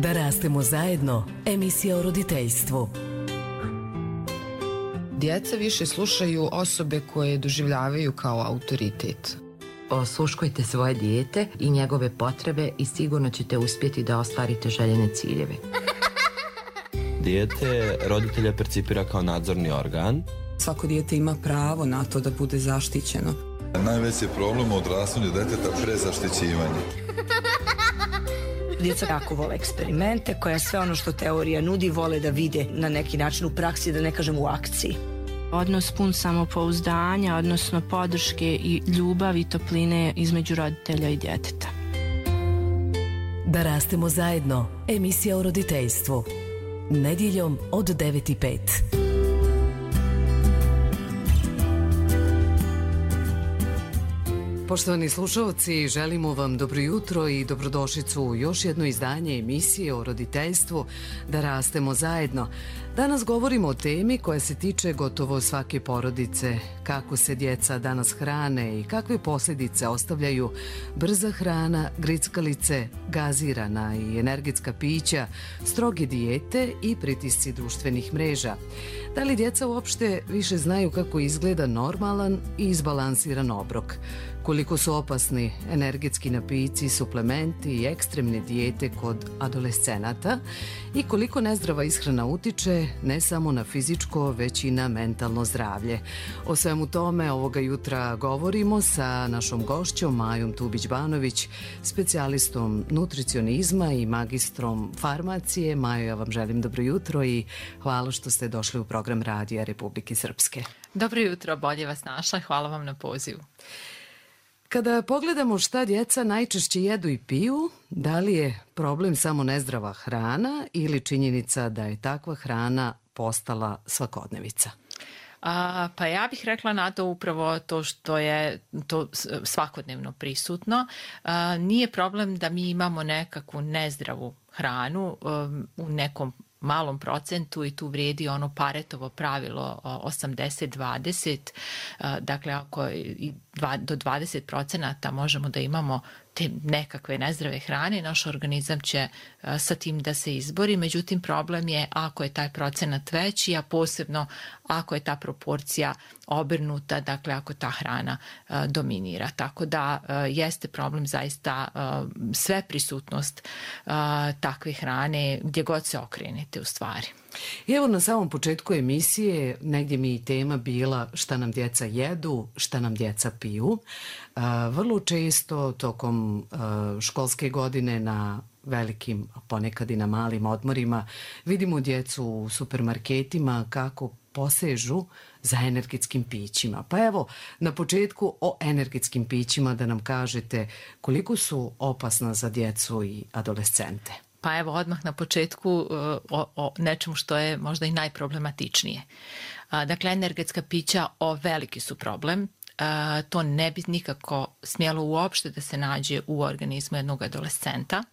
Da rastemo zajedno, emisija o roditeljstvu. Djeca više slušaju osobe koje doživljavaju kao autoritet. Osluškujte svoje dijete i njegove potrebe i sigurno ćete uspjeti da ostvarite željene ciljeve. Dijete roditelja percipira kao nadzorni organ. Svako dijete ima pravo na to da bude zaštićeno. Najveći problem u odrastanju djeteta prezaštićivanje. Djeca jako vole eksperimente, koja sve ono što teorija nudi vole da vide na neki način u praksi, da ne kažem u akciji. Odnos pun samopouzdanja, odnosno podrške i ljubavi i topline između roditelja i djeteta. Da rastemo zajedno, emisija o roditeljstvu. Nedjeljom od 9:05. Poštovani slušalci, želimo vam dobro jutro i dobrodošlicu u još jedno izdanje emisije o roditeljstvu Da rastemo zajedno. Danas govorimo o temi koja se tiče gotovo svake porodice, kako se djeca danas hrane i kakve posljedice ostavljaju brza hrana, grickalice, gazirana i energetska pića, stroge dijete i pritisci društvenih mreža. Da li djeca uopšte više znaju kako izgleda normalan i izbalansiran obrok? Koliko su opasni energetski napici, suplementi i ekstremne dijete kod adolescenata i koliko nezdrava ishrana utiče ne samo na fizičko, već i na mentalno zdravlje. O svemu tome ovoga jutra govorimo sa našom gošćom Majom Tubić-Banović, specijalistom nutricionizma i magistrom farmacije. Majo, ja vam želim dobro jutro i hvala što ste došli u program Radija Republike Srpske. Dobro jutro, bolje vas našla, hvala vam na pozivu. Kada pogledamo šta djeca najčešće jedu i piju, da li je problem samo nezdrava hrana ili činjenica da je takva hrana postala svakodnevica? Pa ja bih rekla na to upravo to što je to svakodnevno prisutno. Nije problem da mi imamo nekakvu nezdravu hranu u nekom malom procentu i tu vrijedi ono Paretovo pravilo 80-20, dakle ako do 20% možemo da imamo te nekakve nezdrave hrane, naš organizam će sa tim da se izbori, međutim problem je ako je taj procenat veći, a posebno ako je ta proporcija obrnuta, dakle ako ta hrana dominira. Tako da jeste problem zaista sve prisutnost takve hrane gdje god se okrenete u stvari. I evo na samom početku emisije negdje mi i tema bila šta nam djeca jedu, šta nam djeca piju. Vrlo često tokom školske godine na velikim, ponekad i na malim odmorima vidimo djecu u supermarketima kako posežu za energetskim pićima. Pa evo, na početku o energetskim pićima da nam kažete koliko su opasna za djecu i adolescente. Pa evo odmah na početku o nečemu što je možda i najproblematičnije. Dakle, energetska pića veliki su problem. To ne bi nikako smjelo uopšte da se nađe u organizmu jednog adolescenta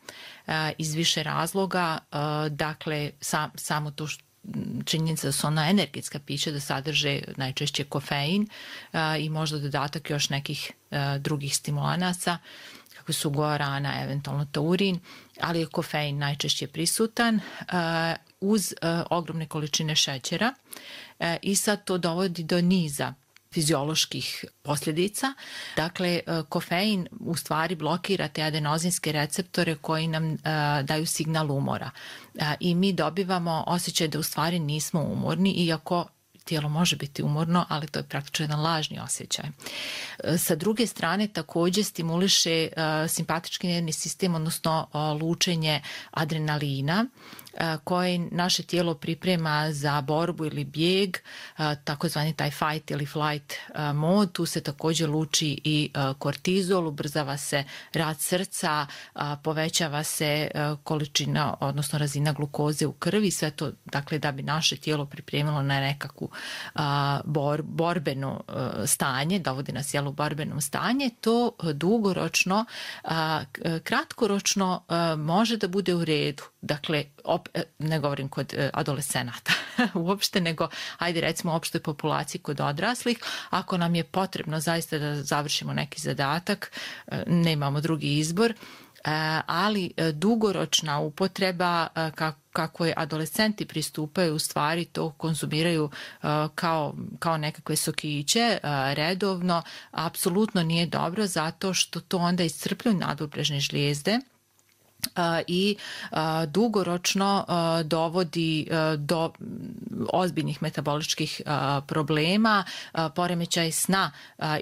iz više razloga. Dakle, samo to činjenica da su ona energetska pića da sadrže najčešće kofein i možda dodatak još nekih drugih stimulanaca kako su guarana, eventualno taurin, ali je kofein najčešće prisutan uz ogromne količine šećera i sad to dovodi do niza fizioloških posljedica. Dakle, kofein u stvari blokira te adenozinske receptore koji nam daju signal umora. I mi dobivamo osjećaj da u stvari nismo umorni, iako tijelo može biti umorno, ali to je praktično jedan lažni osjećaj. Sa druge strane, također stimuliše simpatički nervni sistem, odnosno lučenje adrenalina, koje naše tijelo priprema za borbu ili bijeg, takozvani taj fight ili flight mod. Tu se također luči i kortizol, ubrzava se rad srca, povećava se količina, odnosno razina glukoze u krvi, sve to dakle da bi naše tijelo pripremilo na nekakvu borbeno stanje, dovodi nas u borbeno stanje. To dugoročno, kratkoročno može da bude u redu. Dakle, ne govorim kod adolescenata uopšte, nego ajde recimo opštoj populaciji kod odraslih. Ako nam je potrebno zaista da završimo neki zadatak, nemamo drugi izbor, ali dugoročna upotreba, kako je adolescenti pristupaju, u stvari to konzumiraju kao nekakve sokiće redovno, apsolutno nije dobro, zato što to onda iscrpljuje nadobrežne žlijezde i dugoročno dovodi do ozbiljnih metaboličkih problema. Poremećaj sna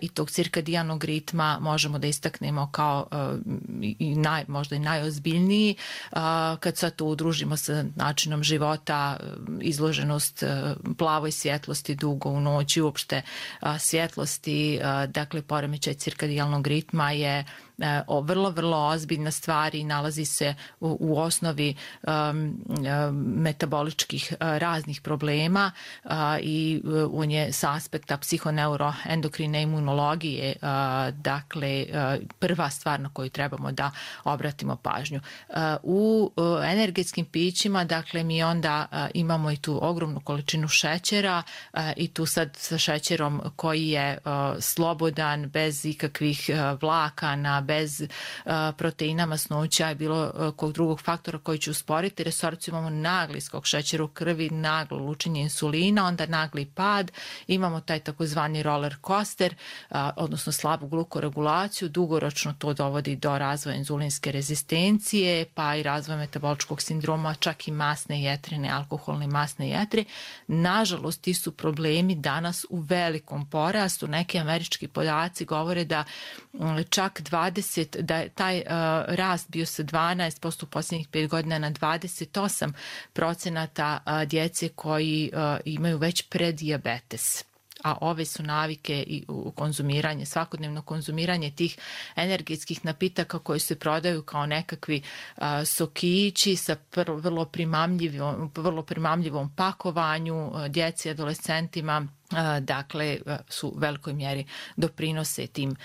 i tog cirkadijanog ritma možemo da istaknemo kao možda i najozbiljniji. Kad sad to udružimo sa načinom života, izloženost plavoj svjetlosti dugo u noći, uopšte svjetlosti, dakle poremećaj cirkadijalnog ritma je vrlo, vrlo ozbiljna stvar i nalazi se u osnovi metaboličkih raznih problema i on je sa aspekta psihoneuroendokrine imunologije dakle prva stvar na koju trebamo da obratimo pažnju. U energetskim pićima dakle mi onda imamo i tu ogromnu količinu šećera i tu sad sa šećerom koji je slobodan, bez ikakvih vlakana, bez proteina, masnoća i bilo kog drugog faktora koji će usporiti resorciju. Imamo nagli skok šećera u krvi, naglo lučenje insulina, onda nagli pad, imamo taj takozvani roller coaster, odnosno slabu glukoregulaciju, dugoročno to dovodi do razvoja inzulinske rezistencije, pa i razvoja metaboličkog sindroma, čak i masne jetre, alkoholne masne jetre. Nažalost, ti su problemi danas u velikom porastu. Neki američki podaci govore da čak da je taj rast bio sa 12% u posljednjih 5 godina na 28% djece koji imaju već predijabetes. A ove su navike i konzumiranje, svakodnevno konzumiranje tih energetskih napitaka koji se prodaju kao nekakvi sokići sa vrlo primamljivom pakovanju djeci i adolescentima, dakle su u velikoj mjeri doprinose tim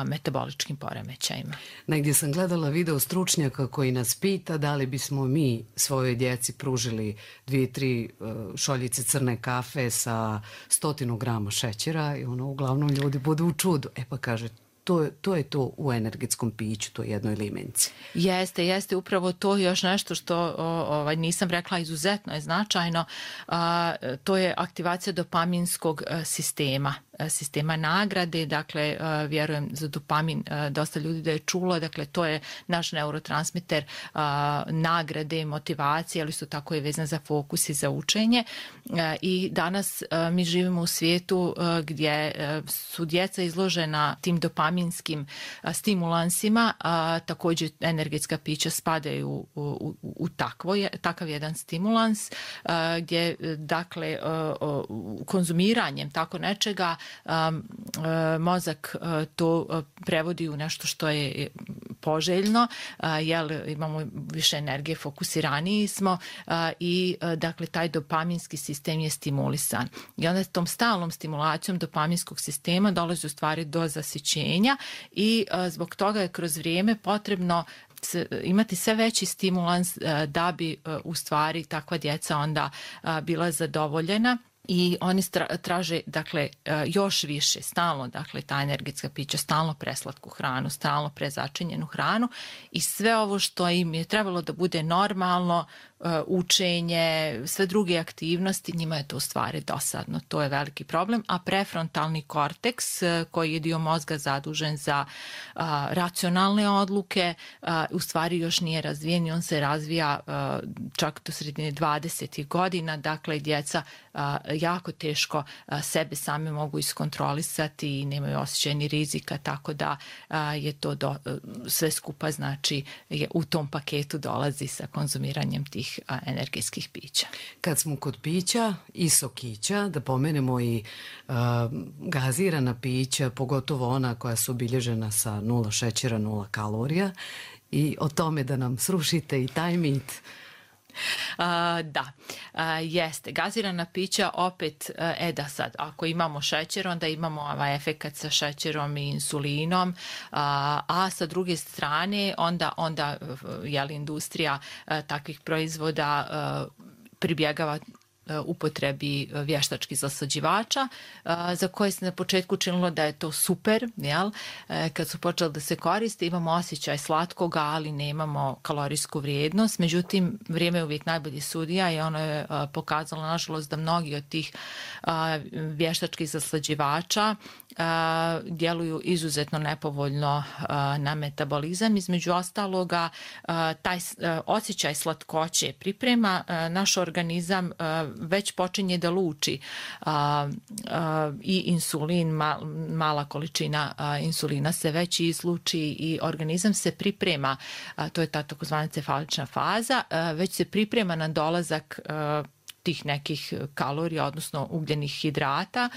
metaboličkim poremećajima. Negdje sam gledala video stručnjaka koji nas pita da li bismo mi svojoj djeci pružili 2-3 šoljice crne kafe sa 100 grama šećera i uglavnom ljudi budu u čudu. Pa kaže, to je to u energetskom piću, to je jednoj limenci. Jeste, upravo to još nešto što nisam rekla, izuzetno je značajno. To je aktivacija dopaminskog sistema nagrade, dakle vjerujem za dopamin dosta ljudi da je čulo, dakle to je naš neurotransmiter nagrade, motivacije, ali isto tako je vezan za fokus i za učenje i danas mi živimo u svijetu gdje su djeca izložena tim dopaminskim stimulansima, također energetska pića spadaju u takav jedan stimulans gdje dakle konzumiranjem tako nečega mozak to prevodi u nešto što je poželjno, jer imamo više energije, fokusiraniji smo i dakle taj dopaminski sistem je stimulisan. I onda tom stalnom stimulacijom dopaminskog sistema dolazi u stvari do zasićenja i zbog toga je kroz vrijeme potrebno imati sve veći stimulans da bi u stvari takva djeca onda bila zadovoljena. I oni traže dakle još više, stalno dakle ta energetska pića, stalno preslatku hranu, stalno prezačinjenu hranu i sve ovo što im je trebalo da bude normalno, učenje, sve druge aktivnosti, njima je to u stvari dosadno. To je veliki problem, a prefrontalni korteks koji je dio mozga zadužen za racionalne odluke u stvari još nije razvijen i on se razvija čak do sredine 20. godina, dakle djeca jako teško sebe same mogu iskontrolisati i nemaju osjećaj ni rizika, tako da je to sve skupa znači u tom paketu dolazi sa konzumiranjem tih energetskih pića. Kad smo kod pića i sokića, da pomenemo i gazirana pića, pogotovo ona koja su obilježena sa 0 šećera, 0 kalorija i o tome da nam srušite i taj mit. Da, jeste. Gazirana pića opet, da sad, ako imamo šećer, onda imamo ovaj efekat sa šećerom i insulinom, a sa druge strane onda industrija takvih proizvoda pribjegava upotrebi vještačkih zaslađivača, za koje se na početku činilo da je to super, jel? Kad su počeli da se koriste, imamo osjećaj slatkoga, ali nemamo kalorijsku vrijednost. Međutim, vrijeme je uvijek najbolji sudija i ono je pokazalo, nažalost, da mnogi od tih vještačkih zaslađivača djeluju izuzetno nepovoljno na metabolizam. Između ostaloga, taj osjećaj slatkoće priprema naš organizam, već počinje da luči i insulin, mala količina insulina se već izluči i organizam se priprema, to je ta takozvana cefalična faza, već se priprema na dolazak tih nekih kalorija, odnosno ugljenih hidrata,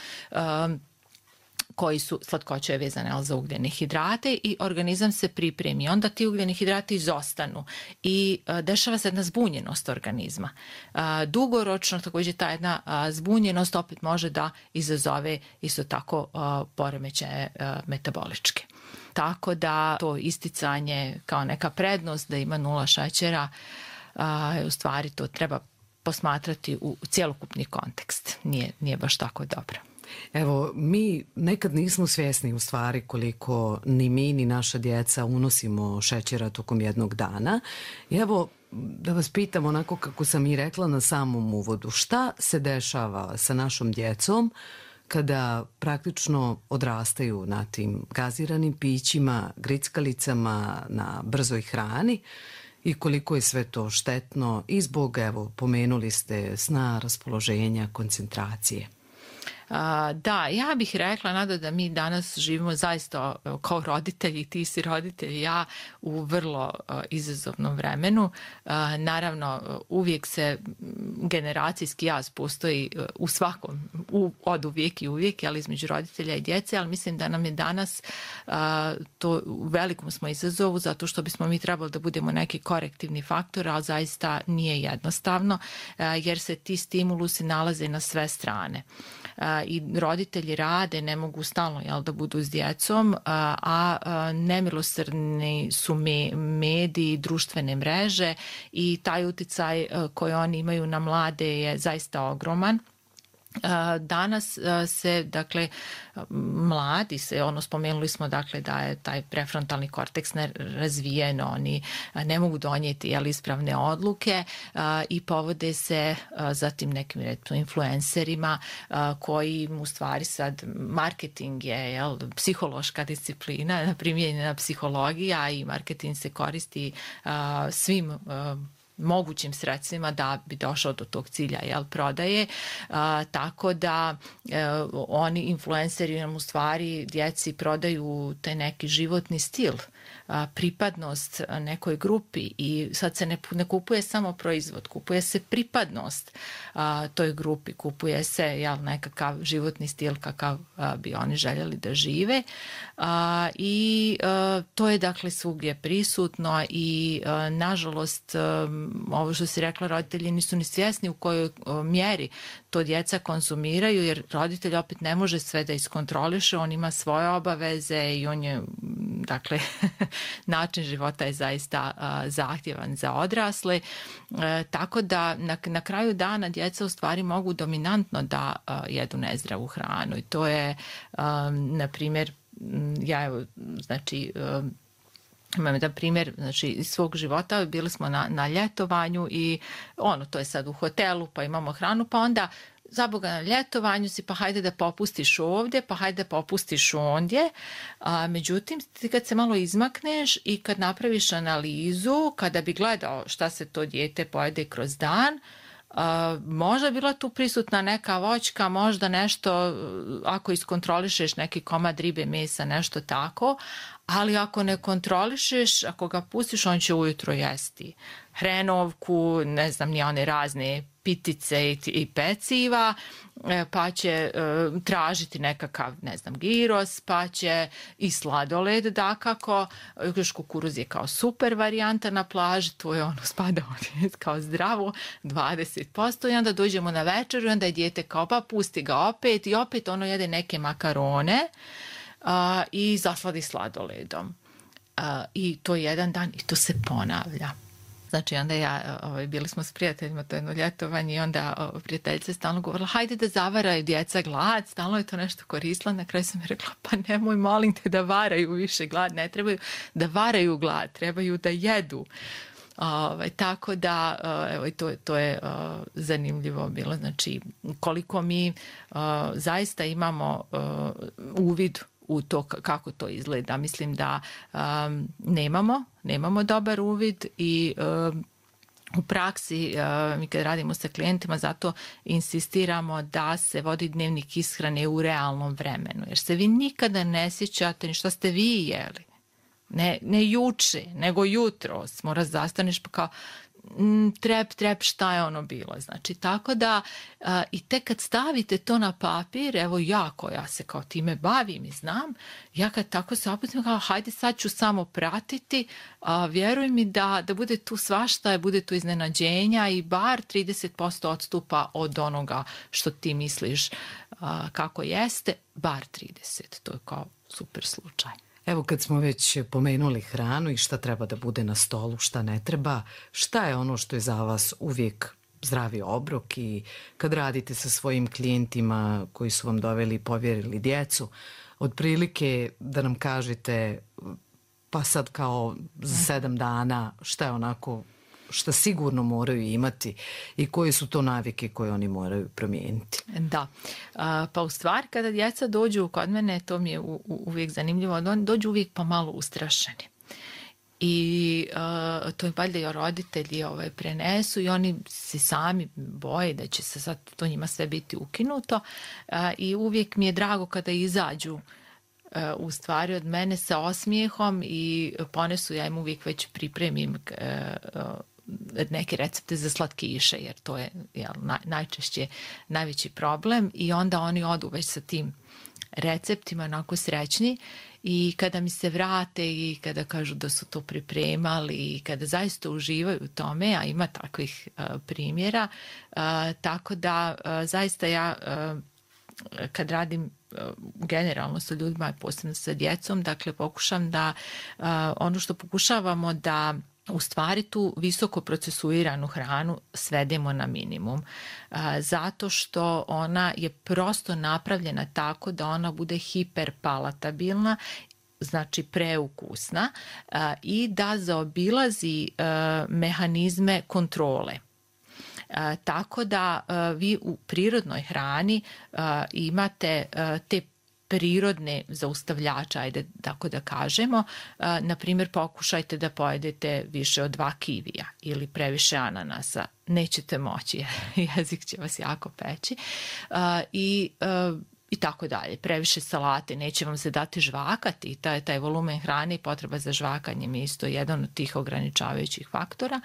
koji su, slatkoća je vezana za ugljene hidrate i organizam se pripremi. Onda ti ugljeni hidrati izostanu i dešava se jedna zbunjenost organizma. Dugoročno također ta jedna zbunjenost opet može da izazove isto tako poremećaje metaboličke. Tako da to isticanje kao neka prednost da ima 0 šećera, u stvari to treba posmatrati u cjelokupni kontekst. Nije baš tako dobro. Evo, mi nekad nismo svjesni u stvari koliko ni mi ni naša djeca unosimo šećera tokom jednog dana. I evo, da vas pitam onako kako sam i rekla na samom uvodu, šta se dešava sa našom djecom kada praktično odrastaju na tim gaziranim pićima, grickalicama, na brzoj hrani i koliko je sve to štetno i zbog, evo, pomenuli ste sna, raspoloženja, koncentracije? Da, ja bih rekla, Nada, da mi danas živimo zaista kao roditelji, ti si roditelj, ja u vrlo izazovnom vremenu. Naravno, uvijek se generacijski jaz postoji u svakom, od uvijek i uvijek, ali između roditelja i djece, ali mislim da nam je danas to u velikom smo izazovu, zato što bismo mi trebali da budemo neki korektivni faktor, ali zaista nije jednostavno, jer se ti stimulusi nalaze na sve strane. I roditelji rade, ne mogu stalno da budu s djecom, a nemilosrdni su mediji, društvene mreže i taj utjecaj koji oni imaju na mlade je zaista ogroman. Danas se, dakle, mladi se, spomenuli smo, dakle, da je taj prefrontalni korteks nerazvijen, oni ne mogu donijeti ispravne odluke i povode se za tim nekim influencerima koji u stvari sad, marketing je psihološka disciplina, primijenjena psihologija i marketing se koristi svim mogućim sredstvima da bi došao do tog cilja prodaje, tako da oni influenceri nam u stvari djeci prodaju te neki životni stil, pripadnost nekoj grupi i sad se ne kupuje samo proizvod, kupuje se pripadnost toj grupi, kupuje se nekakav životni stil kakav bi oni željeli da žive i to je dakle svugdje prisutno i nažalost ovo što si rekla, roditelji nisu ni svjesni u kojoj mjeri to djeca konzumiraju, jer roditelj opet ne može sve da iskontroliše, on ima svoje obaveze i on je, dakle, način života je zaista zahtjevan za odrasle, tako da na kraju dana djeca u stvari mogu dominantno da jedu nezdravu hranu i to je, na primjer, imam jedan primjer, iz svog života, bili smo na ljetovanju i to je sad u hotelu, pa imamo hranu, pa onda zaboga na ljetovanju si, pa hajde da popustiš ovdje, pa hajde da popustiš ondje. Međutim, ti kad se malo izmakneš i kad napraviš analizu, kada bi gledao šta se to dijete pojede kroz dan, možda bila tu prisutna neka voćka, možda nešto, ako iskontrolišeš neki komad ribe, mesa, nešto tako, ali ako ne kontrolišeš, ako ga pustiš, on će ujutro jesti hrenovku, ne znam, ni one razne pitice i peciva, pa će tražiti nekakav, ne znam, giros, pa će i sladoled, dakako, još kukuruz je kao super varijanta na plaži, to je spada kao zdravo, 20%, i onda dođemo na večeru i onda je dijete kao, pa pusti ga opet i opet jede neke makarone i zasladi sladoledom. I to je jedan dan i to se ponavlja. Znači onda bili smo s prijateljima, to jedno ljetovanje i onda prijateljica je stalno govorila hajde da zavaraju djeca glad, stalno je to nešto koristila, na kraju sam mi rekla pa nemoj molim te da varaju više glad, ne trebaju da varaju glad, trebaju da jedu. Tako da evo, to je zanimljivo bilo, znači koliko mi zaista imamo uvid u to kako to izgleda. Mislim da nemamo dobar uvid i u praksi mi kad radimo sa klijentima zato insistiramo da se vodi dnevnik ishrane u realnom vremenu, jer se vi nikada ne sjećate ni šta ste vi jeli. Ne juče, nego jutros. Moraš zastaneš pa kao trep, šta je ono bilo. Znači, tako da i tek kad stavite to na papir, evo ja se kao time bavim i znam, ja kad tako se oputim kao hajde sad ću samo pratiti, vjeruj mi da bude tu svašta, bude tu iznenađenja i bar 30% odstupa od onoga što ti misliš kako jeste, bar 30%. To je kao super slučaj. Evo kad smo već pomenuli hranu i šta treba da bude na stolu, šta ne treba, šta je ono što je za vas uvijek zdravi obrok i kad radite sa svojim klijentima koji su vam doveli i povjerili djecu, otprilike da nam kažete pa sad kao za 7 dana šta je onako šta sigurno moraju imati i koje su to navike koje oni moraju promijeniti. Da, pa u stvari kada djeca dođu kod mene, to mi je uvijek zanimljivo, oni dođu uvijek pa malo ustrašeni. I to je valjda i roditelji prenesu i oni se sami boje da će se sad to njima sve biti ukinuto i uvijek mi je drago kada izađu u stvari od mene sa osmijehom i ponesu, ja im uvijek već pripremim neke recepte za slatkiše, jer to je najčešće najveći problem i onda oni odu već sa tim receptima onako srećni i kada mi se vrate i kada kažu da su to pripremali i kada zaista uživaju u tome, a ima takvih primjera, tako da zaista ja kad radim generalno sa ljudima, posebno sa djecom, dakle pokušam da ono što pokušavamo da u stvari tu visoko procesuiranu hranu svedemo na minimum. Zato što ona je prosto napravljena tako da ona bude hiperpalatabilna, znači preukusna i da zaobilazi mehanizme kontrole. Tako da vi u prirodnoj hrani imate te prirodne zaustavljače, ajde tako da kažemo. Na primjer, pokušajte da pojedete više od 2 kivija ili previše ananasa. Nećete moći, jezik će vas jako peći. I tako dalje. Previše salate, neće vam se dati žvakati. Taj volumen hrane i potreba za žvakanjem je isto jedan od tih ograničavajućih faktora.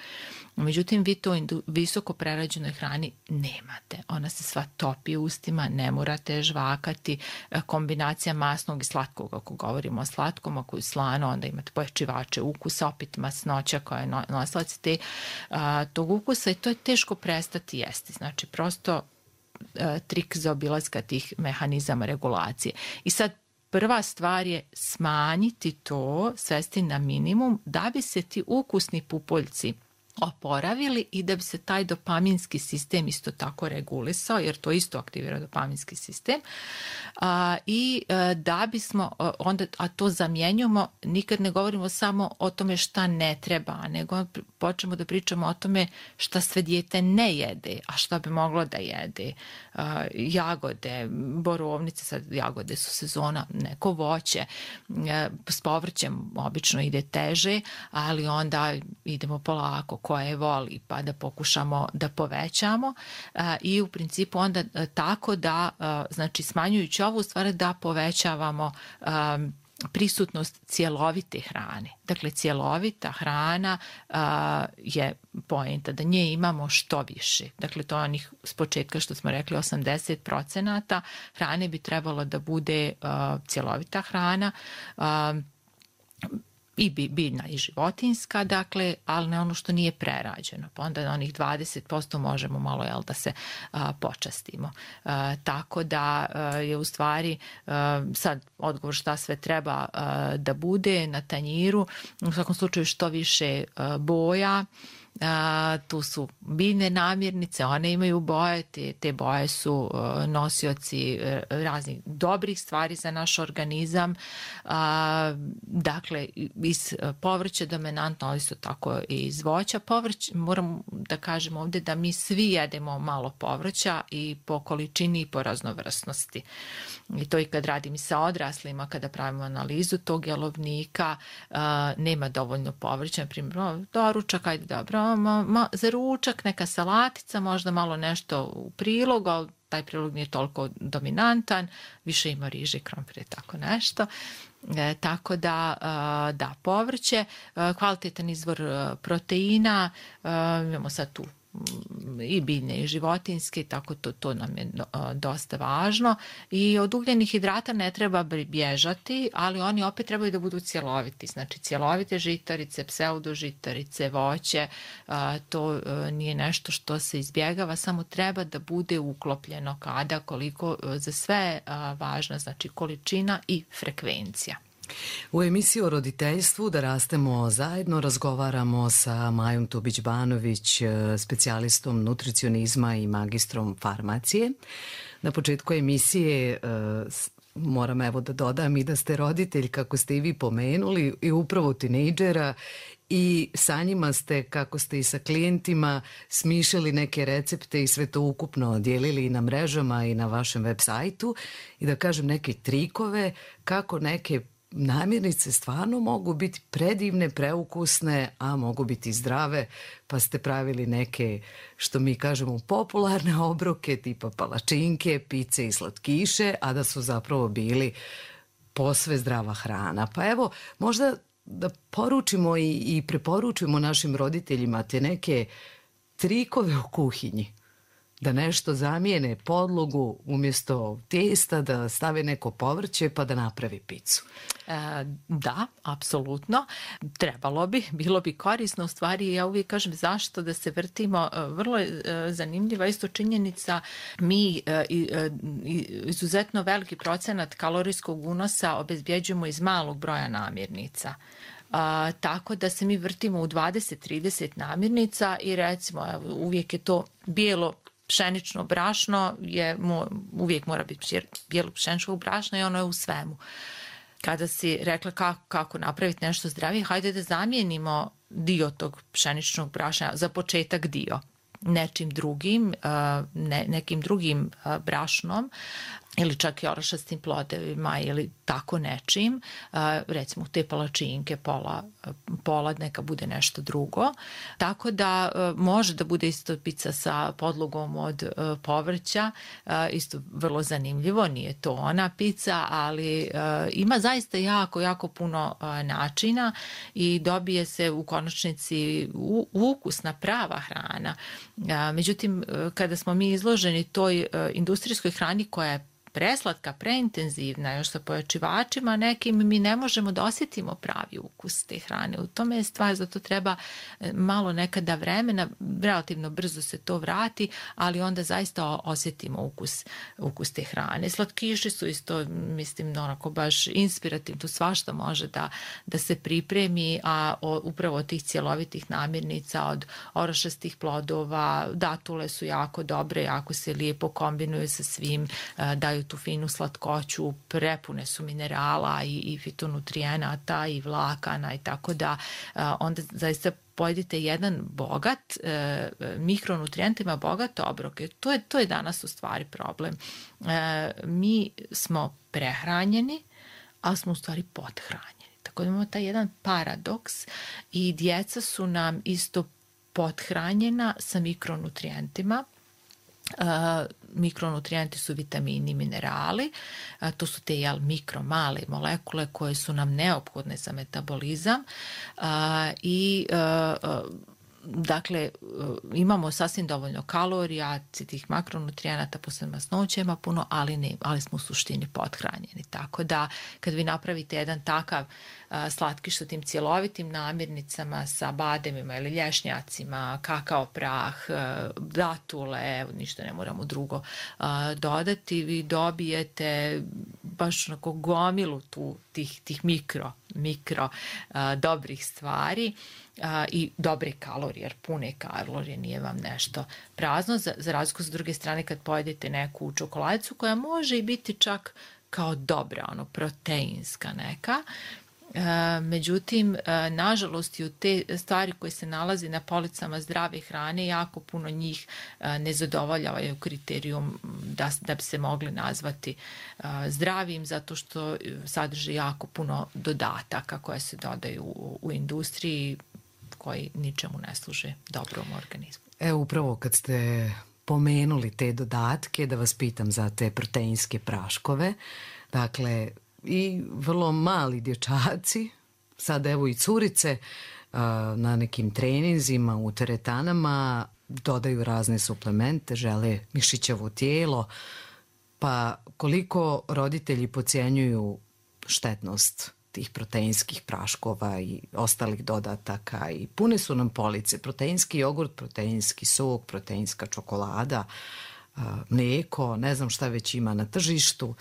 Međutim, vi to visoko prerađenoj hrani nemate. Ona se sva topi u ustima, ne morate žvakati. Kombinacija masnog i slatkog, ako govorimo o slatkom, ako je slano, onda imate pojačivače ukusa, opet masnoća koja je nosilac tog ukusa i to je teško prestati jesti. Znači, prosto trik za obilaska tih mehanizama regulacije. I sad prva stvar je smanjiti to, svesti na minimum da bi se ti ukusni pupoljci oporavili i da bi se taj dopaminski sistem isto tako regulisao, jer to isto aktivira dopaminski sistem. I da bismo onda, a to zamjenjujemo, nikad ne govorimo samo o tome šta ne treba, nego počnemo da pričamo o tome šta sve dijete ne jede, a šta bi moglo da jede. Jagode, borovnice, sad jagode su sezona, neko voće, s povrćem obično ide teže, ali onda idemo polako, koje voli, pa da pokušamo da povećamo i u principu onda tako da, znači smanjujući ovu stvar, da povećavamo prisutnost cjelovite hrane. Dakle, cjelovita hrana je poenta da nje imamo što više. Dakle, to je onih s početka što smo rekli 80% hrane bi trebalo da bude cjelovita hrana, i biljna i životinjska, dakle, ali ne ono što nije prerađeno. Pa onda onih 20% možemo malo da se počastimo. Tako da je u stvari sad odgovor šta sve treba da bude na tanjiru. U svakom slučaju što više boja, Tu su biljne namirnice, one imaju boje, te boje su nosioci raznih dobrih stvari za naš organizam. Dakle, iz povrća dominantno, ali isto tako i iz voća. Povrć, moram da kažem ovde da mi svi jedemo malo povrća i po količini i po raznovrsnosti. I to i kad radim sa odraslima, kada pravimo analizu tog jelovnika, nema dovoljno povrća. Na primjer, doručak, ajde dobro, za ručak neka salatica, možda malo nešto u prilog, ali taj prilog nije toliko dominantan, više ima riže, krompir, tako nešto. Tako da povrće, kvalitetan izvor proteina, imamo sad tu i biljne i životinjske, tako to nam je dosta važno. I od ugljenih hidrata ne treba bježati, ali oni opet trebaju da budu cjeloviti. Znači cjelovite žitarice, pseudožitarice, voće, to nije nešto što se izbjegava, samo treba da bude uklopljeno kada, koliko, za sve važna, znači količina i frekvencija. U emisiji o roditeljstvu Da rastemo zajedno razgovaramo sa Majom Tubić-Banović, specijalistom nutricionizma i magistrom farmacije. Na početku emisije moram evo da dodam i da ste roditelj, kako ste i vi pomenuli, i upravo tinejdžera, i sa njima ste, kako ste i sa klijentima, smišljali neke recepte i sve to ukupno dijelili i na mrežama i na vašem web sajtu, i da kažem neke trikove kako neke namirnice stvarno mogu biti predivne, preukusne, a mogu biti zdrave, pa ste pravili neke, što mi kažemo, popularne obroke tipa palačinke, pice i slatkiše, a da su zapravo bili posve zdrava hrana. Pa evo, možda da poručimo i preporučimo našim roditeljima te neke trikove u kuhinji. Da nešto zamijene podlogu, umjesto testa da stave neko povrće pa da napravi picu. Da, apsolutno. Trebalo bi, bilo bi korisno. U stvari, ja uvijek kažem zašto da se vrtimo. Vrlo je zanimljiva isto činjenica. Mi izuzetno veliki procenat kalorijskog unosa obezbjeđujemo iz malog broja namirnica. Tako da se mi vrtimo u 20-30 namirnica i recimo uvijek je to bijelo pšenično brašno, uvijek mora biti bijelo pšeničnog brašna i ono je u svemu. Kada si rekla kako napraviti nešto zdravije, hajde da zamijenimo dio tog pšeničnog brašna, za početak dio, nečim drugim, nekim drugim brašnom, ili čak i orašastim plodevima ili tako nečim, recimo te palačinke, pola neka bude nešto drugo. Tako da može da bude isto pica sa podlogom od povrća, isto vrlo zanimljivo, nije to ona pica, ali ima zaista jako puno načina i dobije se u konačnici ukusna prava hrana. Međutim, kada smo mi izloženi toj industrijskoj hrani koja je preslatka, preintenzivna, još sa pojačivačima nekim, mi ne možemo da osjetimo pravi ukus te hrane. U tome je stvar, zato treba malo nekada vremena, relativno brzo se to vrati, ali onda zaista osjetimo ukus te hrane. Slatkiši su isto, mislim, onako baš inspirativno, svašta može da se pripremi, a upravo od tih cjelovitih namirnica, od orašastih plodova, datule su jako dobre, jako se lijepo kombinuju sa svim, daju tu finu slatkoću, prepune su minerala i fitonutrijenata i vlakana, i tako da onda zaista pojedite jedan bogat, mikronutrijentima bogat obrok. To je danas u stvari problem. Mi smo prehranjeni, ali smo u stvari pothranjeni. Tako da imamo taj jedan paradoks i djeca su nam isto pothranjena sa mikronutrijentima. Mikronutrijenti su vitamini i minerali, to su te male molekule koje su nam neophodne za metabolizam i dakle imamo sasvim dovoljno kalorija, tih makronutrijenata, posebno masnoća ima puno, ali smo u suštini pothranjeni. Tako da kad vi napravite jedan takav slatkiš sa tim cjelovitim namirnicama, sa bademima ili lješnjacima, kakao prah, datule, ništa ne moramo drugo dodati, vi dobijete baš onako gomilu tih mikro dobrih stvari i dobre kalorije, jer pune kalorije, nije vam nešto prazno, za razliku s druge strane kad pojedete neku čokoladicu koja može i biti čak kao dobra, proteinska neka. Međutim, nažalost i u te stvari koje se nalazi na policama zdrave hrane, jako puno njih ne zadovoljavaju kriterijum da bi se mogli nazvati zdravim, zato što sadrže jako puno dodataka koje se dodaju u industriji koji ničemu ne služe dobrom organizmu. Upravo kad ste pomenuli te dodatke, da vas pitam za te proteinske praškove, dakle, i vrlo mali dječaci, sad evo i curice na nekim treninzima u teretanama dodaju razne suplemente, žele mišićevo tijelo, pa koliko roditelji podcjenjuju štetnost tih proteinskih praškova i ostalih dodataka i pune su nam police, proteinski jogurt, proteinski sok, proteinska čokolada, mlijeko, ne znam šta već ima na tržištu.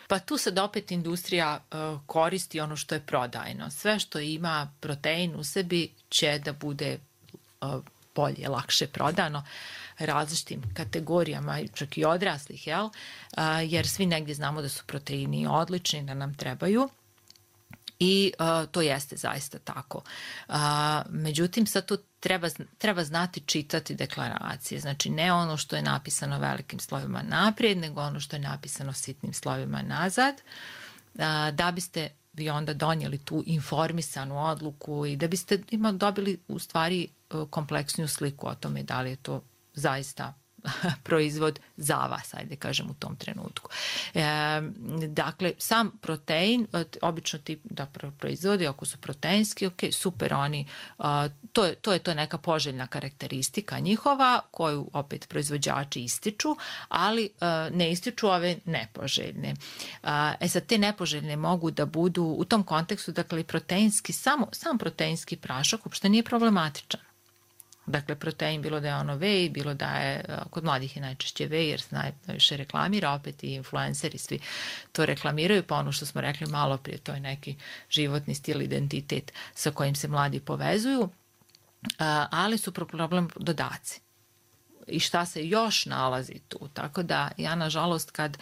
Pa tu sad opet industrija koristi ono što je prodajno. Sve što ima protein u sebi će da bude bolje, lakše prodano različitim kategorijama, čak i odraslih, jer svi negdje znamo da su proteini odlični, da nam trebaju. I to jeste zaista tako. Međutim, sad tu treba znati čitati deklaracije. Znači, ne ono što je napisano velikim slovima naprijed, nego ono što je napisano sitnim slovima nazad, da biste vi onda donijeli tu informisanu odluku i da biste dobili u stvari kompleksniju sliku o tome da li je to zaista proizvod za vas, ajde kažem u tom trenutku. Dakle, sam protein, obično ti da proizvodi, ako su proteinski, ok, super, oni, to je neka poželjna karakteristika njihova, koju opet proizvođači ističu, ali ne ističu ove nepoželjne. Sad, te nepoželjne mogu da budu u tom kontekstu, dakle, proteinski, sam proteinski prašak uopšte nije problematičan. Dakle, protein, bilo da je ono whey, bilo da je, kod mladih je najčešće whey, jer se najviše reklamira, opet i influenceri svi to reklamiraju, pa ono što smo rekli malo prije, to je neki životni stil, identitet sa kojim se mladi povezuju, ali su problem dodaci. I šta se još nalazi tu. Tako da ja, nažalost, kad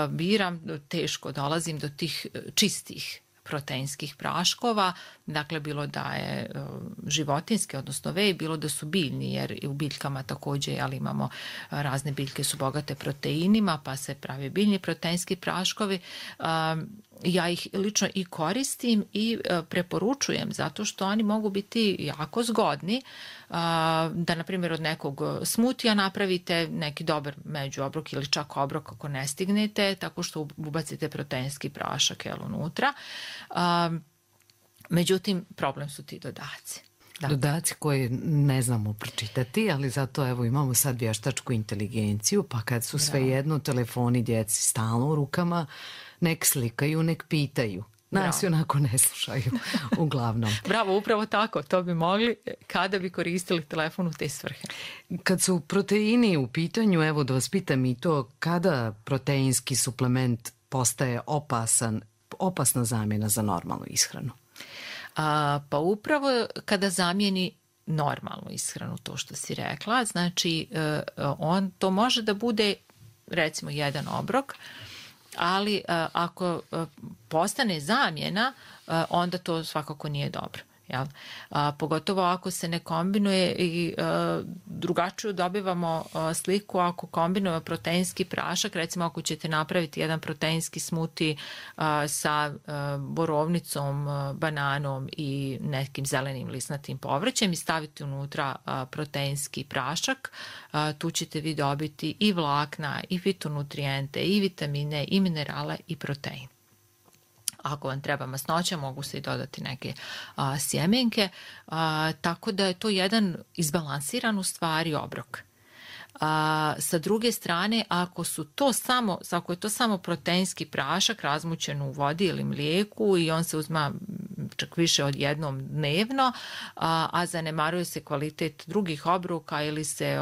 biram, teško dolazim do tih čistih proteinskih praškova, dakle bilo da je životinski, odnosno whey, bilo da su biljni, jer i u biljkama također, ali imamo razne biljke su bogate proteinima, pa se pravi biljni proteinski praškovi. Ja ih lično i koristim i preporučujem, zato što oni mogu biti jako zgodni, da na primjer od nekog smutija napravite neki dobar međuobrok ili čak obrok ako ne stignete, tako što ubacite proteinski prašak unutra. Međutim, problem su ti dodaci. Dodaci koje ne znamo pročitati, ali zato evo imamo sad vještačku inteligenciju, pa kad su svejedno telefoni djeci stalno u rukama, nek slikaju, nek pitaju. Nas onako ne slušaju, uglavnom. Bravo, upravo tako. To bi mogli kada bi koristili telefon u te svrhe. Kad su proteini u pitanju, evo da vas pitam i to, kada proteinski suplement postaje opasna zamjena za normalnu ishranu? Pa upravo kada zamijeni normalnu ishranu, to što si rekla, znači to može da bude recimo jedan obrok, ali ako postane zamjena, onda to svakako nije dobro. Jel? Pogotovo ako se ne kombinuje i drugačiju dobivamo sliku ako kombinujemo proteinski prašak, recimo ako ćete napraviti jedan proteinski smuti sa borovnicom, bananom i nekim zelenim lisnatim povrćem i staviti unutra proteinski prašak, tu ćete vi dobiti i vlakna, i fitonutrijente, i vitamine, i minerale, i protein. Ako vam treba masnoća, mogu se i dodati neke sjemenke, tako da je to jedan izbalansiran u stvari obrok. Sa druge strane, ako je to samo proteinski prašak razmućen u vodi ili mlijeku i on se uzma čak više od jednom dnevno, a zanemaruje se kvalitet drugih obroka ili se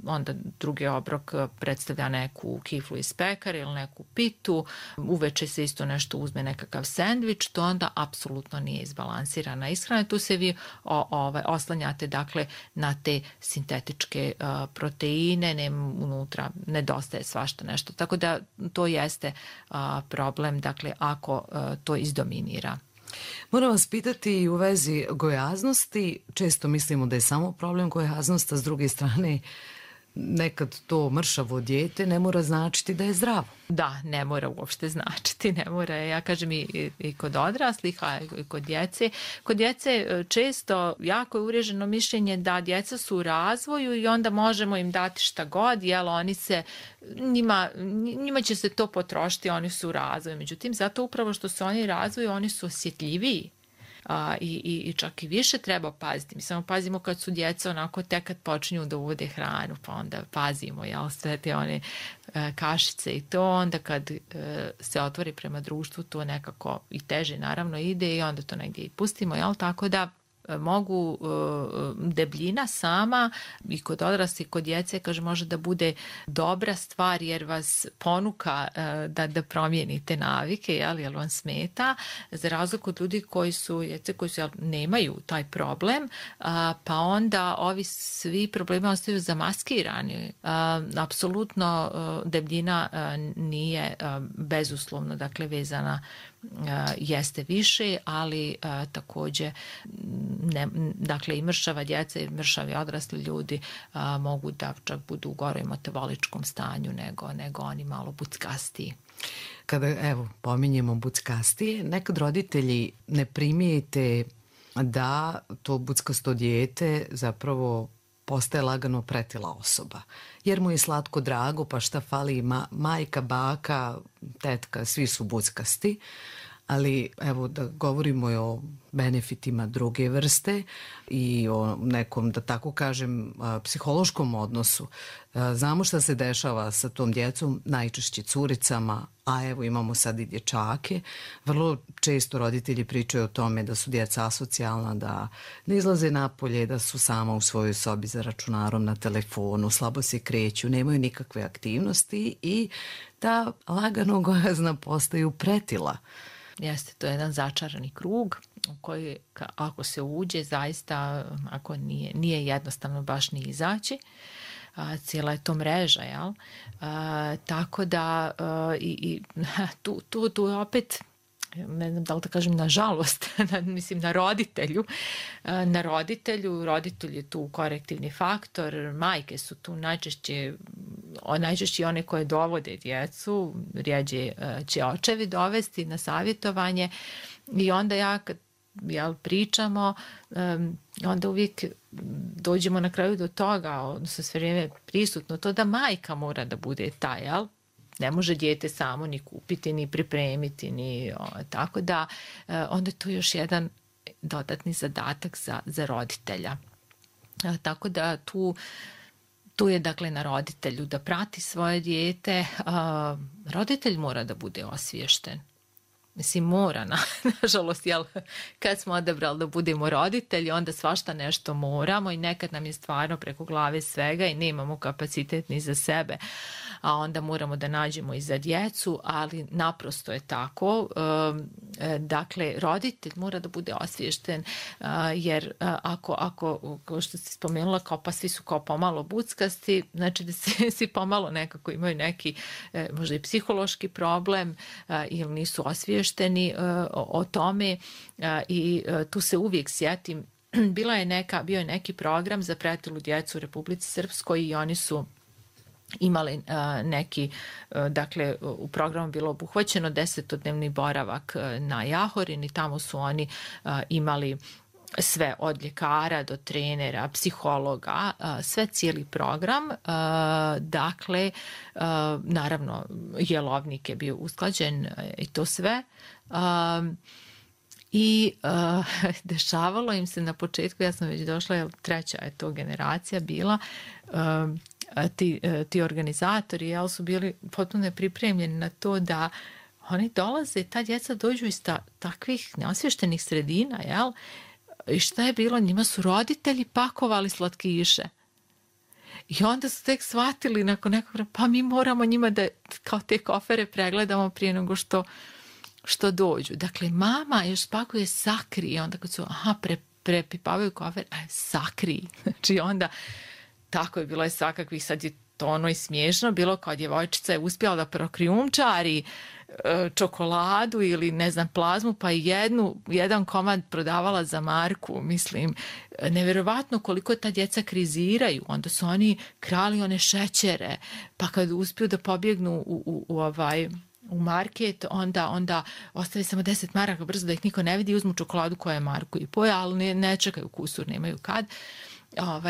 onda drugi obrok predstavlja neku kiflu iz pekare ili neku pitu, uveče se isto nešto uzme nekakav sendvič, to onda apsolutno nije izbalansirana ishrana. Tu se vi oslanjate dakle na te sintetičke proteine, unutra nedostaje svašta nešto. Tako da to jeste problem, dakle ako to izdominira. Moram vas pitati u vezi gojaznosti. Često mislimo da je samo problem gojaznost, a s druge strane nekad to mršavo dijete ne mora značiti da je zdravo. Da, ne mora uopšte značiti, ne mora. Ja kažem i kod odraslih, a i kod djece. Kod djece često jako je uvriježeno mišljenje da djeca su u razvoju i onda možemo im dati šta god, jer oni se, njima će se to potrošiti, oni su u razvoju. Međutim, zato upravo što se oni razvoju, oni su osjetljiviji. I čak i više treba paziti. Mi samo pazimo kad su djeca onako tek kad počinju da uvode hranu, pa onda pazimo, jel, sve te one kašice i to, onda kad se otvori prema društvu to nekako i teže naravno ide i onda to negdje i pustimo, jel, tako da mogu debljina sama i kod odraslih i kod djece, kaže, može da bude dobra stvar jer vas ponuka da promijenite navike, jer vam smeta, za razliku od ljudi koji su nemaju taj problem, pa onda ovi svi problemi ostaju zamaskirani. Apsolutno debljina nije bezuslovno, dakle, vezana, jeste više, ali također dakle i mršava djeca i mršavi odrasli ljudi mogu da čak budu u goroj metaboličkom stanju nego oni malo buckastiji. Kada, evo, pominjemo buckastije, nekad roditelji ne primijete da to buckasto dijete zapravo postaje lagano pretila osoba. Jer mu je slatko drago, pa šta fali, majka, baka, tetka, svi su buckasti. Ali evo da govorimo o benefitima druge vrste i o nekom, da tako kažem, psihološkom odnosu. Znamo šta se dešava sa tom djecom, najčešće curicama, a evo imamo sad i dječake. Vrlo često roditelji pričaju o tome da su djeca asocijalna, da ne izlaze napolje, da su sama u svojoj sobi za računarom, na telefonu, slabo se kreću, nemaju nikakve aktivnosti i da lagano gojazna postaju pretila. Jeste, to je jedan začarani krug u koji ako se uđe zaista, ako nije jednostavno baš ni izaći, cijela je to mreža, jel? Tako da tu opet, ne znam da li da kažem nažalost, mislim na roditelju. Roditelj je tu korektivni faktor, majke su tu najčešće one koje dovode djecu, rijeđe će očevi dovesti na savjetovanje i onda kad pričamo, onda uvijek dođemo na kraju do toga, odnosno sve vrijeme prisutno to da majka mora da bude ta, jel? Ne može dijete samo ni kupiti, ni pripremiti, tako da onda je to još jedan dodatni zadatak za roditelja. Tako da tu je dakle na roditelju da prati svoje dijete. Roditelj mora da bude osviješten. Mislim, mora, nažalost, jel, kad smo odabrali da budemo roditelji, onda svašta nešto moramo i nekad nam je stvarno preko glave svega i nemamo kapacitet ni za sebe, a onda moramo da nađemo i za djecu, ali naprosto je tako. Dakle, roditelj mora da bude osviješten, jer ako kao što si spomenula, pa svi su kao pomalo buckasti, znači da svi pomalo nekako imaju neki možda i psihološki problem ili nisu osviješteni o tome i tu se uvijek sjetim. Bio je neki program za pretilu djecu u Republici Srpskoj i oni su imali neki, dakle u programu bilo obuhvaćeno 10-dnevni boravak na Jahorini, tamo su oni imali sve od ljekara do trenera, psihologa, sve cijeli program. Dakle, naravno jelovnik je bio usklađen i to sve. I dešavalo im se na početku, ja sam već došla, treća je to generacija bila, ti organizatori su bili potpuno pripremljeni na to da oni dolaze, ta djeca dođu iz takvih neosvještenih sredina, jel? I šta je bilo? Njima su roditelji pakovali slatkiše. I onda su tek shvatili nakon nekog vremena, pa mi moramo njima da kao te kofere pregledamo prije nego što dođu. Dakle, mama još spakuje sakri, onda kad su prepipavaju kofer, sakri. Znači onda, tako je bilo je svakakvih, sad je to ono i smiješno, bilo kao djevojčica je uspjela da prokrijumčari čokoladu ili ne znam plazmu, pa jedan komad prodavala za marku, mislim, nevjerovatno koliko ta djeca kriziraju, onda su oni krali one šećere, pa kad uspiju da pobjegnu u market, onda ostave samo 10 maraka brzo da ih niko ne vidi i uzmu čokoladu koja je marku i poja, ali ne čekaju kusur, nemaju kad.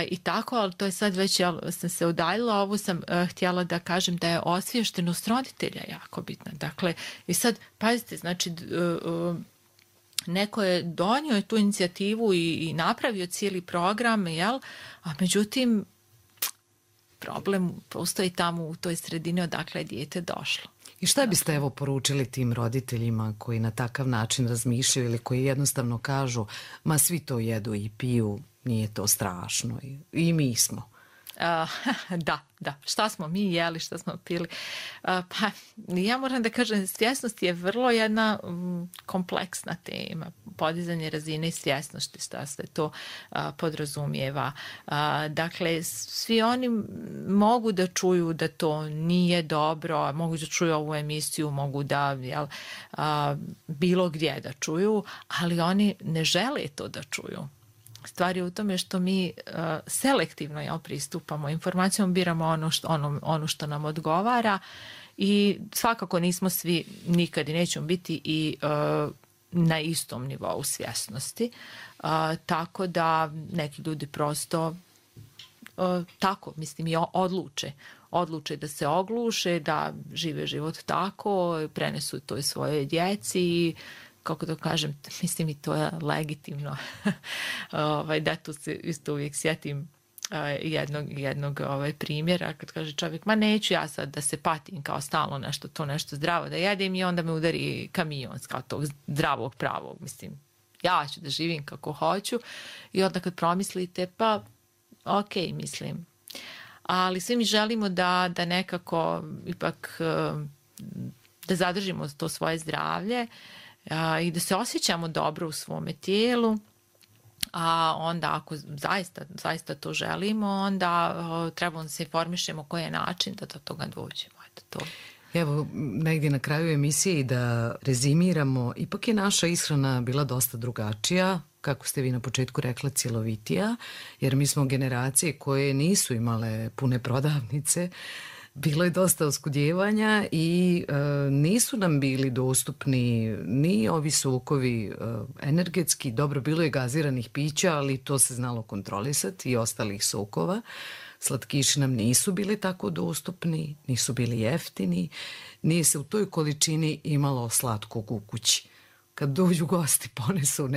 I tako, ali to je sad već, sam se udaljila, ovo sam htjela da kažem da je osviještenost roditelja jako bitna. Dakle, i sad, pazite, znači, neko je donio tu inicijativu i napravio cijeli program, jel? A međutim, problem postoji tamo u toj sredini odakle je dijete došlo. I šta biste evo poručili tim roditeljima koji na takav način razmišljaju ili koji jednostavno kažu, ma svi to jedu i piju, nije to strašno i mi smo? Da. Šta smo mi jeli, šta smo pili? Pa ja moram da kažem, svjesnost je vrlo jedna kompleksna tema. Podizanje razine i svjesnosti, šta se to podrazumijeva. Dakle, svi oni mogu da čuju da to nije dobro, mogu da čuju ovu emisiju, mogu da bilo gdje da čuju, ali oni ne žele to da čuju. Stvar je u tome što mi selektivno pristupamo informacijom, biramo ono što nam odgovara i svakako nismo svi nikad i nećemo biti i na istom nivou svjesnosti. Tako da neki ljudi prosto tako, mislim, i odluče da se ogluše, da žive život tako, prenesu to i svoje djeci i kako to kažem, mislim i to je legitimno. Da, tu se isto uvijek sjetim jednog primjera kad kaže čovjek, ma neću ja sad da se patim kao stalno nešto zdravo da jedem i onda me udari kamion kao tog zdravog pravog, mislim, ja ću da živim kako hoću i onda kad promislite, pa ok, mislim. Ali svi mi želimo da nekako ipak da zadržimo to svoje zdravlje i da se osjećamo dobro u svome tijelu, a onda ako zaista to želimo, onda trebamo da se informišemo koji je način da do toga dođemo. Evo, negdje na kraju emisije i da rezimiramo, ipak je naša ishrana bila dosta drugačija, kako ste vi na početku rekla, cjelovitija, jer mi smo generacije koje nisu imale pune prodavnice, bilo je dosta oskudjevanja i nisu nam bili dostupni ni ovi sokovi energetski, dobro, bilo je gaziranih pića, ali to se znalo kontrolisati i ostalih sokova. Slatkiši nam nisu bili tako dostupni, nisu bili jeftini, nije se u toj količini imalo slatkog u kući. Kad dođu gosti ponesu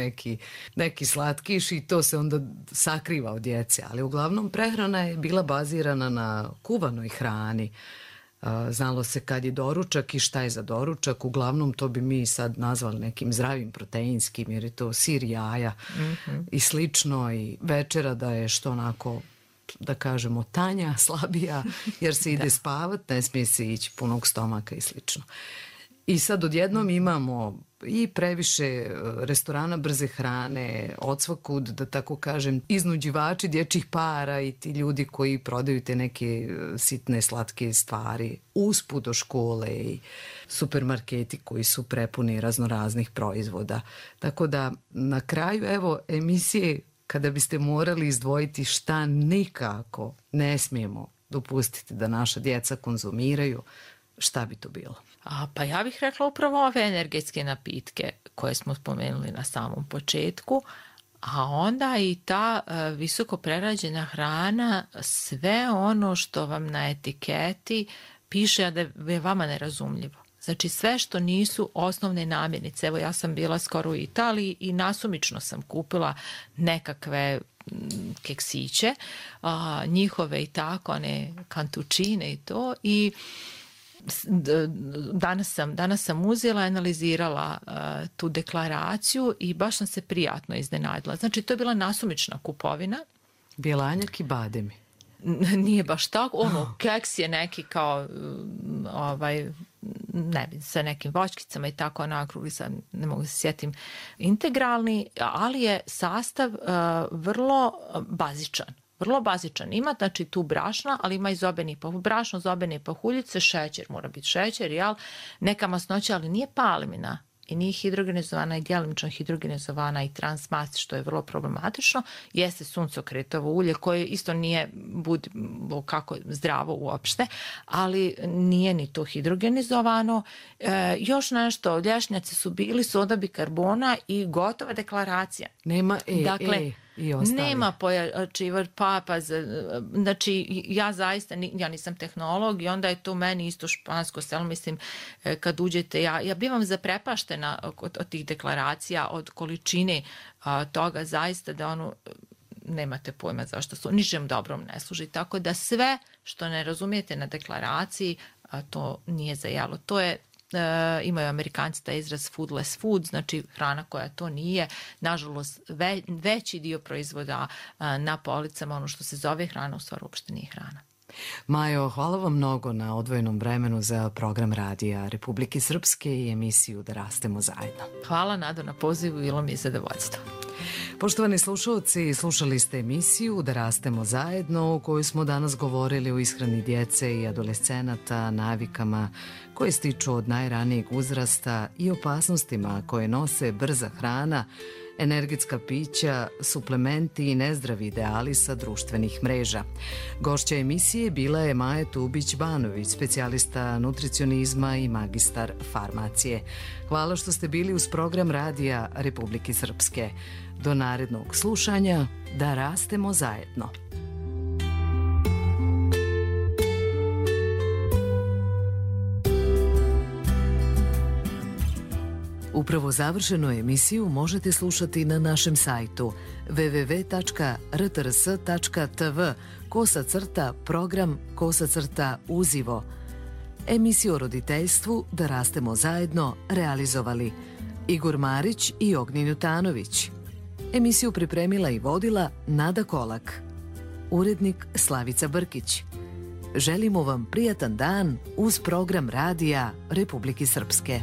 neki slatkiš i to se onda sakriva od djece, ali uglavnom prehrana je bila bazirana na kuvanoj hrani. Znalo se kad je doručak i šta je za doručak, uglavnom to bi mi sad nazvali nekim zdravim proteinskim, jer je to sir, jaja i slično, i večera da je što onako, da kažemo, tanja, slabija, jer se ide spavat, ne smije se ići punog stomaka i slično. I sad odjednom imamo i previše restorana brze hrane, odsvakud, da tako kažem, iznuđivači dječjih para i ti ljudi koji prodaju te neke sitne slatke stvari usput do škole i supermarketi koji su prepuni raznoraznih proizvoda. Tako da na kraju evo emisije, kada biste morali izdvojiti šta nikako ne smijemo dopustiti da naša djeca konzumiraju, šta bi to bilo? Pa ja bih rekla upravo ove energetske napitke koje smo spomenuli na samom početku, a onda i ta visoko prerađena hrana, sve ono što vam na etiketi piše da je vama nerazumljivo. Znači sve što nisu osnovne namirnice. Evo ja sam bila skoro u Italiji i nasumično sam kupila nekakve keksiće, njihove i tako, one kantučine i to, i danas sam uzela, analizirala tu deklaraciju i baš sam se prijatno iznenadila. Znači, to je bila nasumična kupovina. Bjelanjak i bademi. Nije baš tako, keks je neki kao ne bi, sa nekim voćkicama i tako nakrugli, sad ne mogu se sjetim, integralni, ali je sastav vrlo bazičan. Vrlo bazičan. Ima, znači, tu brašna, ali ima i brašno, zobene pahuljice, šećer, mora biti šećer, neka masnoća, ali nije palmina i nije hidrogenizovana i djelimično hidrogenizovana i transmast, što je vrlo problematično. Jeste suncokretovo ulje koje isto nije kako zdravo uopšte, ali nije ni to hidrogenizovano. Još nešto, lješnjaci su bili, soda bikarbona i gotova deklaracija. Nema i ostali. Nema pojačivač, znači ja zaista, ja nisam tehnolog i onda je to meni isto špansko selo, mislim, kad uđete, ja bivam zaprepaštena od tih deklaracija, od količine toga zaista da nemate pojma zašto su, ničem dobrom ne služi, tako da sve što ne razumijete na deklaraciji, to nije za jelo. To je, imaju Amerikanci taj izraz foodless food, znači hrana koja to nije. Nažalost, veći dio proizvoda na policama, ono što se zove hrana, u stvari uopšte nije hrana. Majo, hvala vam mnogo na odvojenom vremenu za program Radija Republike Srpske i emisiju Da rastemo zajedno. Hvala, Nado, na pozivu, bilo mi je zadovoljstvo. Poštovani slušalci, slušali ste emisiju Da rastemo zajedno, u kojoj smo danas govorili o ishrani djece i adolescenata, navikama koje stiču od najranijeg uzrasta i opasnostima koje nose brza hrana, energetska pića, suplementi i nezdravi ideali sa društvenih mreža. Gošća emisije bila je Maja Tubić-Banović, specijalista nutricionizma i magistar farmacije. Hvala što ste bili uz program Radija Republike Srpske. Do narednog slušanja, da rastemo zajedno. Upravo završenu emisiju možete slušati na našem sajtu www.rtrs.tv/program/uzivo. Emisiju o roditeljstvu Da rastemo zajedno realizovali Igor Marić i Ognjen Jutanović. Emisiju pripremila i vodila Nada Kolak. Urednik Slavica Brkić. Želimo vam prijatan dan uz program Radija Republike Srpske.